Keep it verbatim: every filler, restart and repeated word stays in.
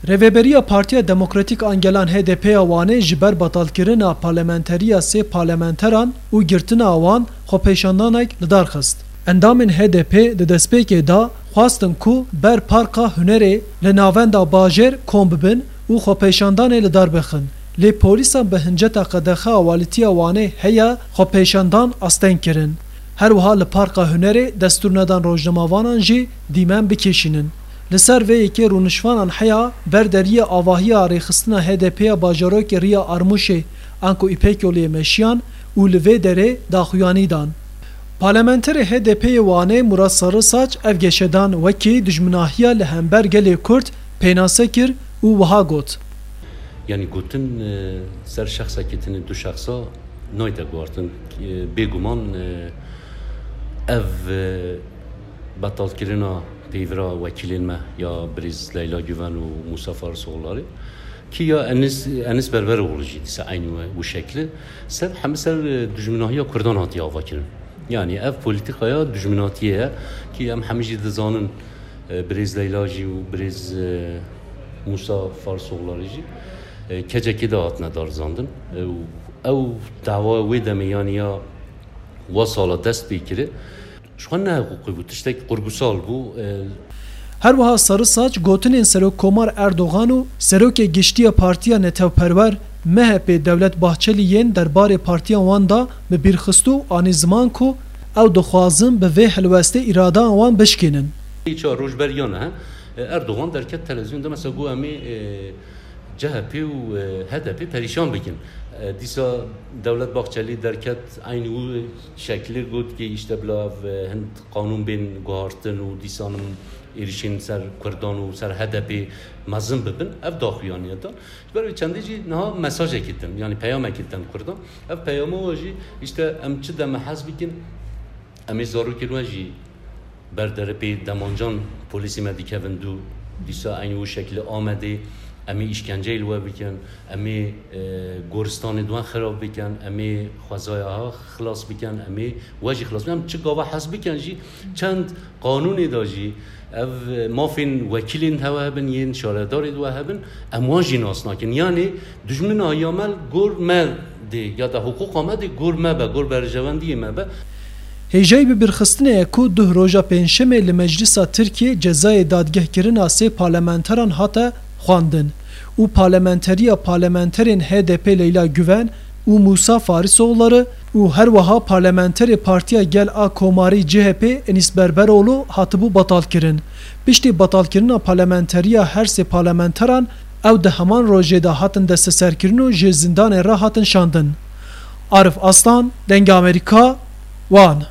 Rêveberiya Partiya Demokratîk an Gelan H D P ya Wanê ji ber betalkirina parlamenteriya sê parlamenteran û girtina wan xwepêşandanek li dar xist. Endamên H D P di destpêkê de xwestin ku ber Parka Hunerê li navenda bajêr kom bibin û xwepêşandanê li dar bixin. Lê polîsan bi hinceta qedexe awalîtiya Wanê heye xwepêşandan asteng kirin. Her wiha li Parka Hunerê destûr nedan rojnamavanan jî dîmen bikêşînin. Li ser vê yekê rûniştvanan heya ber deriyê avahiya rêxistina H D P ya bajarokê Riya Armûşê anku Îpekçoliyê meşiyan û li vê derê daxuyanî dan. Parlamenterê H D P yê Wanê Murat Sarısaç ev geşedan wekî dijminahiya li hember gelê Kurd pênase kir û wiha got. Yanî gotin e, ser şexsekî tenê du şexsa nayte guhartin. E, Bêguman e, ev e, betalkirina peyvira wekîlên me ya birêz Leyla Güven û Musa Farisoğulları ki ya Enis, Enis Berberoğlu jî dîsa eynî we û şekli ser hemî ser e, dijminahiya Kurdan hatiye avakirin. Yanî ev polîtîkaya dijminatiyê ye ki em hemî jî dizanin e, birêz Leyla jî û birêz e, Musa Farisoğulları jî e, kecekê de hatine darizandin. E, û ew dawa wê demê yanî ya wa sala dest pê kiri. Ji xwe ne hiqûqî bû, tiştek qurbûsal bû. E, Her wiha Sarısaç gotinên Serokkomar Erdogan û Serokê Giştî ya Partiya Netewperwer, M H P, Devlet Bahçelî yên derbarê partiya wan de bi bîr xist û anî ziman ku ew dixwazin bi vê helwestê îradeyan wan bişkînin. Çar roj beriya niha e, Erdogan derket televîzyon de mesela got em ê e, C H P û e, H D P perîşan bikin. E, Dîsa Devlet Bahçelî derket eynî wî şeklî got ki îşte bila ev e, hin qanûn bên guhartin û dîsanin êrişên ser Kurdan û ser H D P mezin bibin. Ev daxuyaniye dan. Ji ber wê çendê jî niha mesajekî din, yanî peyamekî din Kurdan. Ev peyama we jî îşte em çi deme hez bikin, em ê zarokên we jî ber derê pê demancan polîsê me dikevin dû, dîsa eynî wî şekilî Amedê, em ê îşkenceyê li we bikin, em ê e, goristanê di we xirab bikin, em ê xwezaya ha xilas bikin, em ê we jî xilas bikin. Em çi gava hez bikin jî çend qanûnê de jî ev mafên wekîlên hewe hebin, yên şaredarê di we hebin, em wan jî nas nakin. Yanî dijmina ya me li gor me dê ya da hiqûqa me dê gor me be, gor berjewendiyê me be. Hêjayî bibîrxistinê ye ku duh roja pêncşemê li Meclisa Tirkiyê cezayê dadgehkirina sê parlamenteran hate xwendin û parlamenteriya parlamenterên H D P Leyla Güven û Musa Farisoğulları û her wiha parlamenterê Partiya Gel a Komarî C H P Enis Berberoğlu hatibû betalkirin. Piştî betalkirina parlamenteriya her sê parlamenteran ew di heman rojê de hatin desteserkirin û ji zindanê re hatin şandin. Arif Aslan, Dengê Amerîka, Wan.